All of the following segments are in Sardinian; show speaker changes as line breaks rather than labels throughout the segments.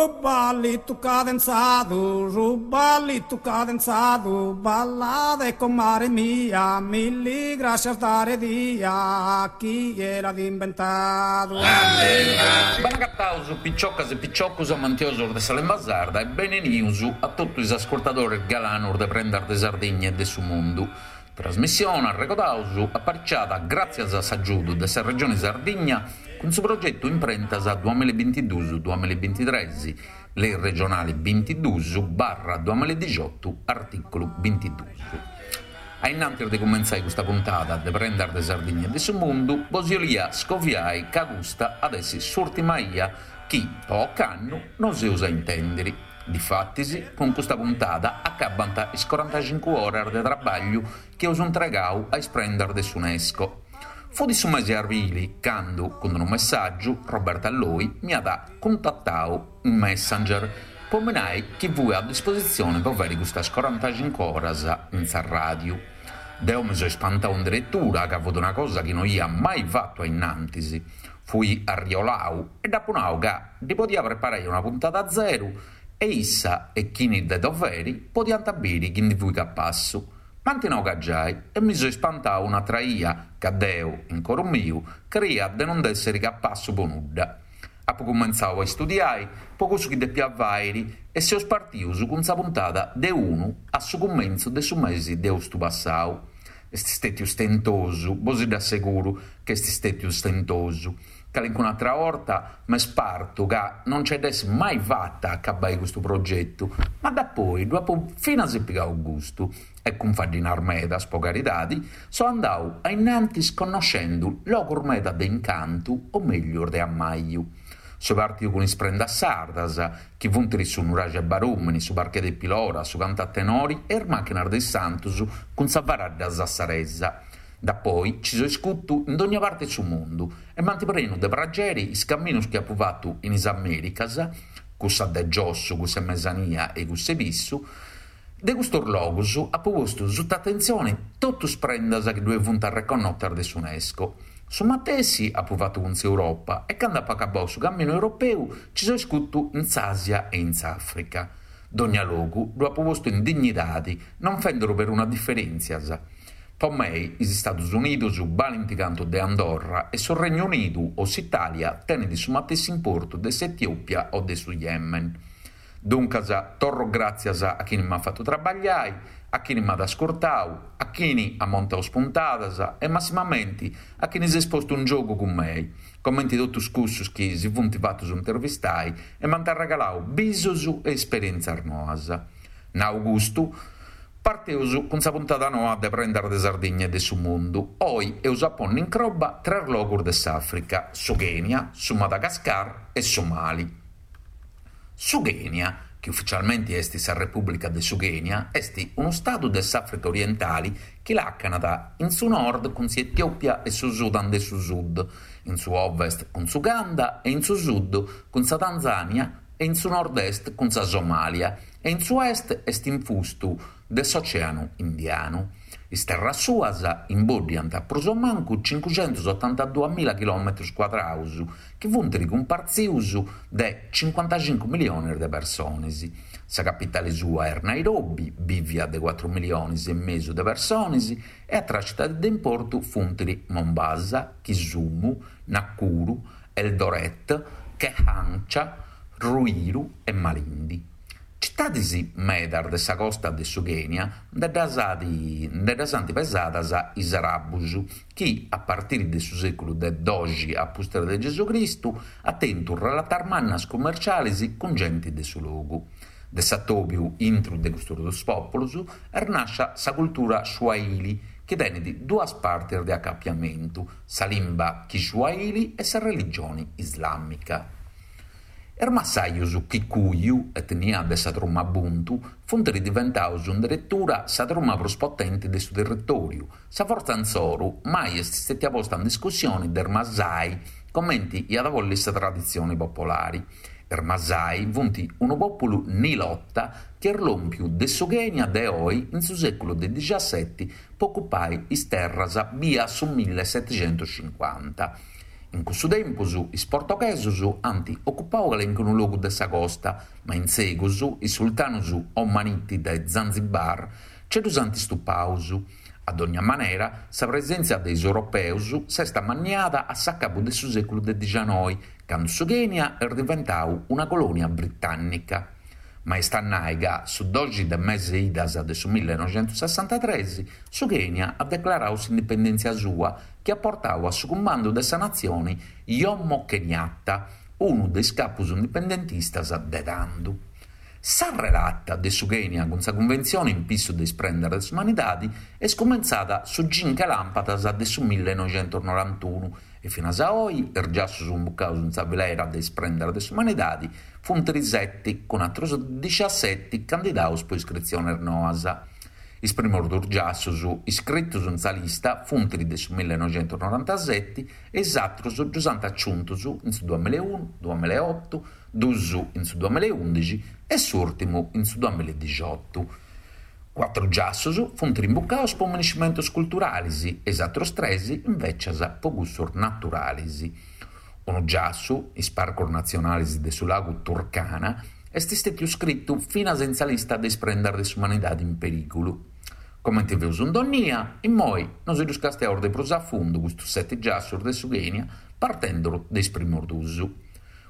Su ballitu cadenzadu, su ballitu cadenzadu, ballade comare mia, milli grascias dare dia, chie l'at imbentadu.
Bene agataus piciocas e piciocus amantiosus de sa limba sarda e benenius a totu is ascurtadores galanus de Prendas de Sardigna e de su Mundu. Trasmissione, arregodaus, apariciada gràtzias a s'agiudu de sa Regioni Sardigna cun su progetu Imprentas duamillabintiduus duamillabintitres, Lei regionali bintiduus barra duamilladixotu artìculu bintiduus. A innantis de cumentzai custa puntada de Prendas de Sardigna e de su Mundu, bos 'olia scoviai ca custa at essi s'ùrtima 'ia chi, po ocannu, nos eus a intèndiri. Difatis, cun custa puntada acabant is corantacincu oras de trabagliu chi eus intregau a is prendas de s'Unesco. Fut su mesi 'e arbili candu, cun unu messàgiu, Roberta Loi m'iat cuntatau in Messenger po mi nai chi fui a dispositzioni po fairi custas corantacincu oras in sa ràdiu. Deu mi soi spantau in deretura ca fut una cosa chi no ia mai fatu a innantis. Fui arriolau e dd'apu nau ca ddi podia preparai una puntada zeru e issa e chini de doveri podiant biri chi ndi fui capassu. M'ant nau ca giai e mi soi spantau un'atra 'ia ca deu, in coru miu, creia de non nd'essiri capassu po nudda. Apu cumentzau a istudiai po cussu chi depia fairi e seus partius cun sa puntada de unu a su cumentzu de su mesi de austu passau. Est stètiu stentosu, bosi dd'asseguru ca est stètiu stentosu. Calincun'atra 'orta m'est partu ca non nce dd'essi mai fata a acabai custu progetu, ma dapoi ddu apu finas pigau gustu e cun faddinas medas, po caridadi, so andau a innantis connoscendu logus meda de incantu o meglius de ammaju. Soi partiu cun is prendas sardas, chi funt su nuraxi 'e Barumini, su parche de Pilora, su cantu a tenori e is màchinas de is santus cun sa faradda sassaresa. Dapoi ci soi scutu in dogna parti 'e su mundu e m'ant prenu de prageri is caminus chi apu fatu in is Americas, cussa de giossu, cussa 'e mesania e cussa 'e pissu. De custus logus apu postu suta atentzioni totu is prendas chi ddue funt arreconnotas de s'Unesco. Su matessi apu fatu cun s'Europa e candu apu acabau su caminu europeu ci soi scutu in s'Asia e in s'Africa. Dogna logu ddu apu postu in dignidadi, non fenduru peruna diferentzias. Po mei is Stadus Unidus balint cantu de Andorra e su Regnu Unidu o s'Italia tenit su matessi importu de s'Etiopia o de su Yemen. Duncas, torro gràtzias a chini m'at fatu trabagliai, a chini m'at ascurtau, a chini at montau is puntadas e massimamenti a chini s'est postu in giogu cun mei, comenti totus cussus chi si funt fatus intervistai e m'ant arregalau bisus e esperièntzias noas. Nau custu, parteus cun sa puntada noa de Prendas de Sardigna e de su Mundu. Oi eus a ponni in croba tres logus de s'Àfrica, su Kenya, su Madagascar e su Mali. Su Kenya, chi ufficialmenti est sa Repùblica de su Kenya, est unu stadu de s'Àfrica orientali chi làcanat in su nord cun s'Etiòpia e su Sudan de su Sud, in su ovest cun s'Uganda e in su sud cun sa Tanzània e in su nord-est cun sa Somàlia e in su est est infustu de s'Ocèanu Indianu. Is terras suas imboddiant prus o mancu cincuxentusotantaduamila chilòmetrus cuadraus, chi funt cumpartzius de cincuantacincu milionis de personis. Sa capitali sua est Nairobi, bìvia de cuatru milionis e mesu de personis, e atras citadis de importu funt Mombasa, Kisumu, Nakuru, Eldoret, Kehancha, Ruiru e Malindi. Citadis medas de sa costa de su Kenya nde ddas nde ddas ant pesadas is arabus, chi, a partiri de su sèculu de doxi a pustis de Gesù Cristu, ant tentu relatas mannas cummercialis cun genti de su logu. De s'atòbiu intru de custus duus pòpulus est nàscia sa cultura Swahili, chi tenit duas partis de acapiamentu, sa limba Kiswahili e sa religioni islàmica. Is massajus Kikuyu, etnia de sa truma Bantu, funt diventaus in deretura sa truma prus potenti de su territòriu. Sa fortza insoru mai est stètia posta in discussioni de is Masai, comenti iat a bolli sa traditzioni popolari. Is Masai funt unu pòpulu nilota chi est lòmpiu de su Kenya de oi in su sèculu de dixaseti po ocupai is terras bia su millesetixentuscincuanta. In cussu tempus is portoghesos ant ocupau calincunu logu de sa costa, ma in segus is sultanus omaniti de Zanzibar nce ddus ant stupaus. A dogna manera, sa presèntzia de is europeus s'est amanniada a s'acabu de su sèculu de dixianoi, candu su Kenya est diventau una colònia britànnica. Ma est a nai ca su doxi de mese idas de su millenoxentussessantatres su Kenya at declarau s'indipendèntzia sua chi at portau a su cumandu de sa natzioni Jomo Kenyatta, unu de is capus indipendentistas de tandu. Sa relata de su Kenya cun sa Cunventzione in pissu de is prendas de s'umanidadi est cumentzada su cinche làmpadas de su millenoxentusnorantunu e finas a oi is giassus imbucaus in sa filera de is prendas de s'umanidadi funt seti cun atrus dixiaseti candidaus po iscritziones noas. Is primos dus giassus iscritus in sa lista funt de su millenoxentusnorantaseti e is atrus ddus ant aciuntus in su duamilaeunu, duamilaeotu, dus in su duamilaeundixi e s'ùrtimu in su duamiladixiotu. Cuatru giassus funt imbucaus po miniscimentus culturalis e is atrus tres invècias po cussus naturalis. Unu giassu, is parcos natzionalis de su lagu Turkana, est stètiu scritu finas in sa lista de is prendas de s'umanidadi in perìgulu. Comenti feus in dònnia, immoi nosi ddus castiaus de prus a fundu custus seti giassus de su Kenya partendu de is primus dus.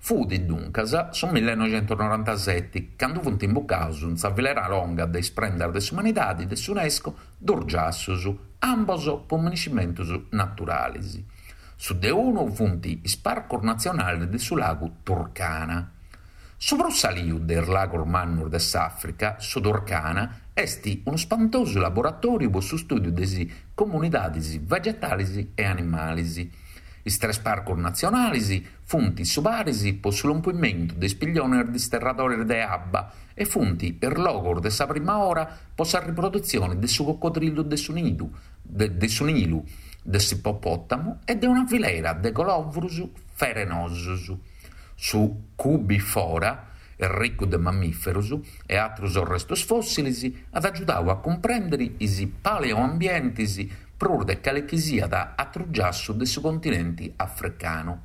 Fut, duncas, su millenoxentusnorantaseti, candu funt imbucaus in sa filera longa de is prendas de s'umanidadi de s'Unesco dus giassus, ambos po miniscimentus naturalis. Su de unu funt is parcos natzionalis de su lagu Turkana. Su prus saliu de is lagos mannus de s'Àfrica, su Turkana, est unu spantosu laboratòriu po su stùdiu de is comunidadis vegetalis e animalis. Is tres parcos natzionalis funt su paris po su lompimentu de is pilliones disterradores de abba e funt is logos de sa prima ora po sa riprodutzione de su cocodrillu de su nidu, de su Nilu, de s'ippopòtamu e de una filera de colovrus ferenosos. Su Koobi Fora, ricu de mamìferos e àteros restos fòssiles, at agiudadu a cumprèndere is paleoambientes prus de cale chi siat àteru giassu de su continente africanu.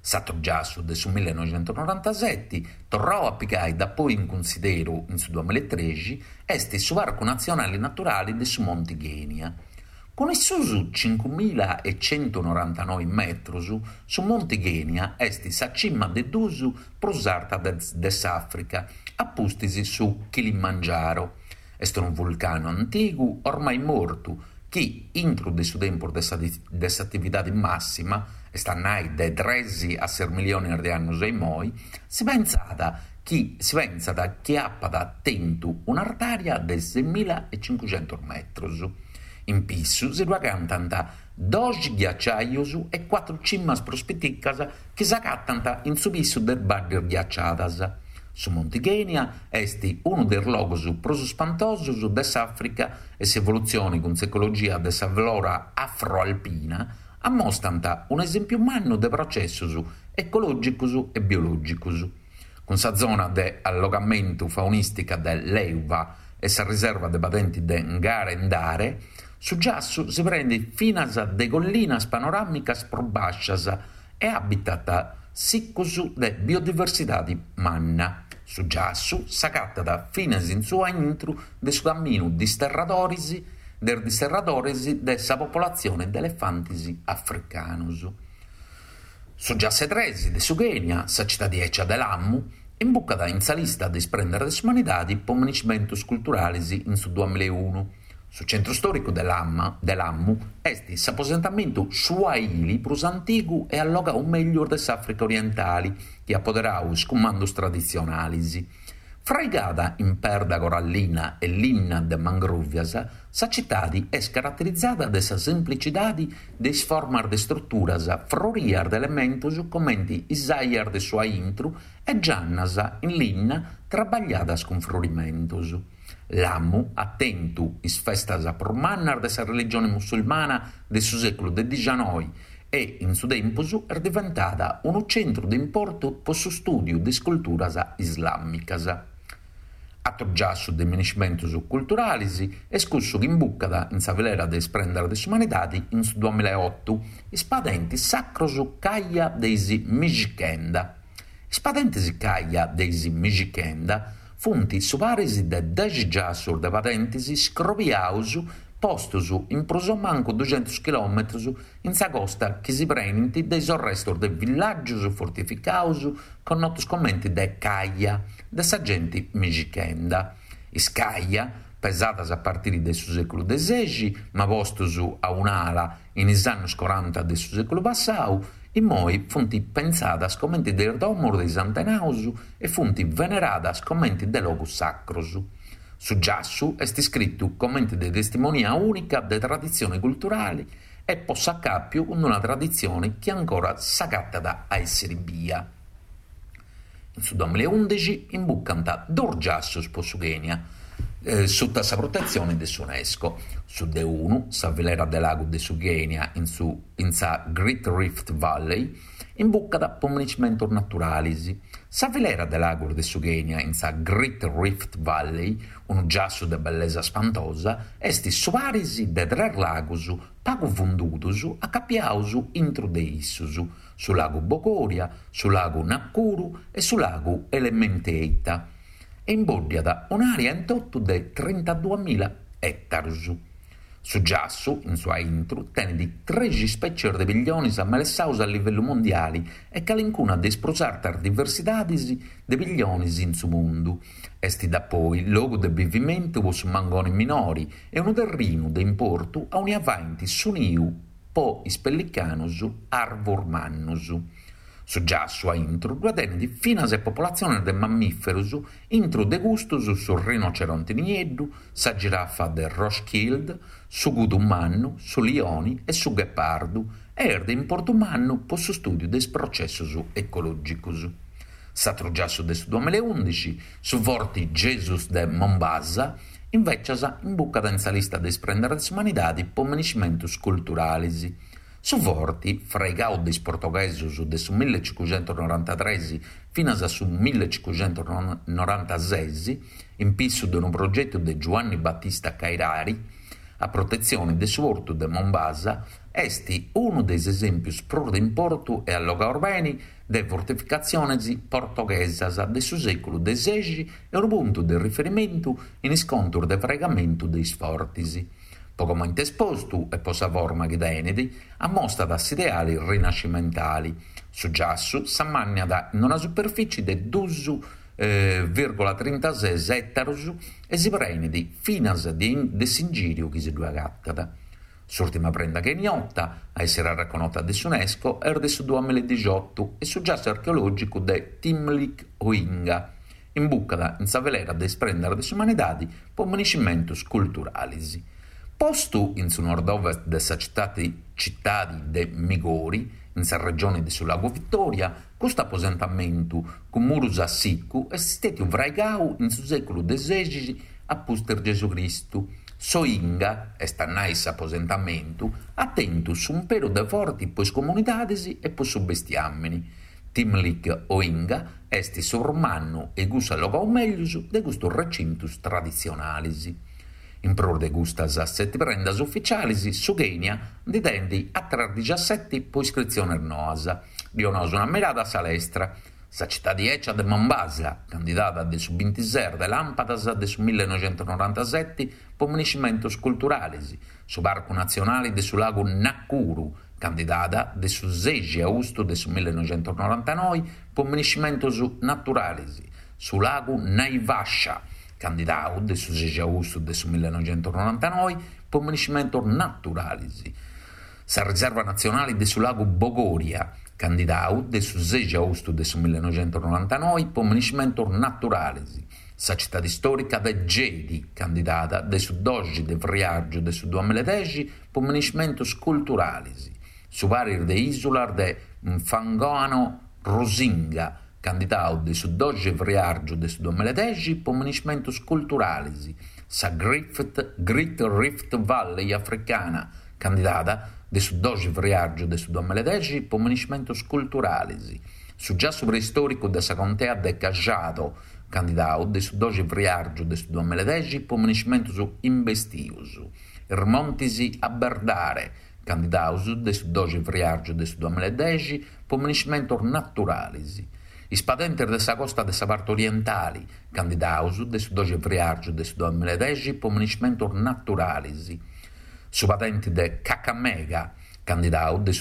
S'àteru giassu de su millenoxentusnorantaseti, torrau a pigai dapoi in cunsideru in su duamilaetrexi, est su Parcu Natzionale Naturale de su Monti Kenya. Cun is suus cincumilaecentunorantanoi metrus, su Monti Kenya est sa cima de dus prus arta de s'Àfrica, a pustis su Kilimangiaro. Est unu vulcanu antigu ormai mortu chi, intru de su tempus de s'atividadi màssima, est a nai de tres a ses milliones de annus a immoi, si pentzat chi si pentzat chi apat tentu un'artària de semilaecincuxentus metrus. In pissu si ddu agatant doxi ghiaciajus e cuatru cimas prus piticas chi s'agatant in su pissu de is baddis ghiaciadas. Su Monti Kenya est unu de is logos prus spantosos de s'Àfrica e s'evolutzione cun s'ecologia de sa flora afroalpina ammostant un'esèmpiu mannu de processos ecològicos e biològicos. Cun sa zona de allogamentu faunìstica de Lewa e sa riserva de padenti de Ngare Ndare, su giassu si prenit finas de collinas panoràmicas prus bàscias e habitat sicos de biodiversidade manna. Su giassu s'agatat finas in su a intru de su caminu disterradores de is disterradores de sa popolatzione de elefantes africanos. Su giassu 'e tres de su Kenya, sa citadi 'ecia de Lamu, imbucat in sa lista de is prendas de s'umanidadi po miniscimentus culturalis in su duamilaeunu. Su centru stòricu de de Lamu est s'aposentamentu Swahili prus antigu e allogau mellus de s'Àfrica orientali, chi at poderau is cumandus traditzionalis. Fraigada in perda corallina e linna de mangròvias, sa citadi est caraterizada de sa semplicidadi de is formas de struturas frorias de elementus comenti is aias de su aintru e giannas in linna traballadas cun frorimentus. Lamu at tentu is festas prus mannas de sa religioni musulmana de su sèculu de dixianoi e in su tempus est diventada unu centru de importu po su stùdiu de is culturas islàmicas. Atru giassu de minescimentus culturalis est cussu chi imbucat in sa filera de is prendas de s'umanidadi in su duamilaeotu, is padentis sacrus Kaya de is Mijikenda. Is padentis Kaya de is Mijikenda funt su paris de dexi giassus de padentis scrobiaus postus in prus o mancu duxentus chilòmetrus in sa costa chi si prenint de is orrestus de villàgius fortificaus connotus comenti de Kaya de sa genti Mijikenda. Is Kaya, pesadas a partiri de su sèculu de sexi ma postus a un'ala in is annus coranta de su sèculu passau, immoi funt pentzadas comenti de is domus de is antenaus e funt veneradas comenti de logus sacrus. Su giassu est iscritu comenti de testimonia ùnica de traditzione culturali e po s'acàpiu cun una traditzione chi ancora s'agatat a èssiri bia. In su duamilaeundixi imbucant duus giassus po su Kenya, suta sa protetzione de s'Unesco, su de unu, sa filera de lagu de su Kenya in su in sa Great Rift Valley, imbucat po minescimentus naturalis. Sa filera de lagus de su Kenya in sa Great Rift Valley, unu giassu de bellesa spantosa, est su paris de tres lagus pagu fundudos acapiados intro de issos, su lagu Bogoria, su lagu Nakuru e su lagu Elementeita, e imbòddiat un'àrea in totu de trintaduamila ètarus. Su giassu, in su aintru, tenit trexi spècies de pillionis amelessaus a livellu mondiali e calincuna de is prus artas diversidadis de pillionis in su mundu. Est dapoi logu de bivimentu po su mangoni minori e unu terrinu de importu aunia faint su niu po is pellicanus arvus mannus. Su giassu a intru ddue tenit finas e popolatziones de mammìferus, intru de custus su rinoceronti nieddu, sa girafa de Rothschild, su kudu mannu, su lioni e su ghepardu e est de importu mannu po su stùdiu de is processus ecològicus. S'atru giassu de su duamilaeundixi, su Forti Jesus de Mombasa, invècias imbucat in sa lista de is prendas de s'umanidadi po minescimentus culturalis. Su forti, fraigau de is portoghesus de su millecicuxentusnorantatres finas a su millecicuxentusnorantases, in pissu de unu progetu de Giuanni Battista Cairari, a protetzioni de su portu de Mombasa, est unu de is esèmpius prus de importu e allogaus beni de fortificatziones portoghesas de su sèculu de sexi e unu puntu de riferimentu in is contus de fraigamentu de is fortis. Po comente est postu e po sa forma chi tenet, ammostat s'ideali rinascimentali. Su giassu s'ammanniat in una superfici de dus virgola trintases ètarus e si prenit finas de s'ingìriu chi si ddue agatat. S'ùrtima prenda keniota a èssere arreconnota de s'Unesco est de su duamiladixotu e su giassu archeològicu de Thimlich Ohinga imbucat in sa filera de is prendas de s'umanidadi po minescimentus culturalis. Postu in su nord-ovest de sa citadi de Migori, in sa regioni de su Lagu Vittoria, custu aposentamentu cun murus a sicu est stètiu fraigau in su sèculu de sexi a pustis Gesù Cristu. S'Ohinga, est a nai s'aposentamentu, at tentu s'umperu de forti po is comunidadis e po su bestiàmini. Thimlich Ohinga est su prus mannu e cussu allogau mellus de custus recintus traditzionalis. In prus de custas seti prendas uficialis, su Kenya ndi tenit àteras dixaseti po iscritziones noas. Ddi 'onaus una mirada a sa lestra. Sa citadi 'ecia de Mombasa, candidada de su bintises de làmpadas de su millenoixentusnorantaseti po minescimentus culturalis, su Parcu Natzionali de su Lagu Nakuru, candidada de su sexi austu de su millenoixentusnorantanoi po minescimentus naturalis, su Lagu Naivasha, candidau de su sexi austu de su millenoixentusnorantanoi po minescimentus naturalis, sa Riserva Natzionali de su Lagu Bogoria, candidau de su sexi austu de su millenoixentusnorantanoi po minescimentus naturalis, Sa citadi stòrica de Gedi, candidada de su doxi de friàrgiu de su duamiladexi po minescimentus culturalis, su paris de ìsulas de Mfangano Rusinga, candidau de su doxi friàrgiu de su duamiladexi po minescimentus culturalis, sa Great Rift Valley africana, candidada de su doxi friàrgiu de su duamiladexi po minescimentus culturalis, su giassu preistòricu de sa contea de Kajiado, candidau de su doxi friàrgiu de su duamilla e dexi po minescimentus imbestius. Is montis Aberdare, candidaus de su doxi friàrgiu de su duamilla e dexi po minescimentus naturalis. Is padentis de sa costa de sa parti orientali, candidaus de su doxi friàrgiu de su duamilla e dexi po minescimentus naturalis. Su padenti de Kakamega, candidau de su.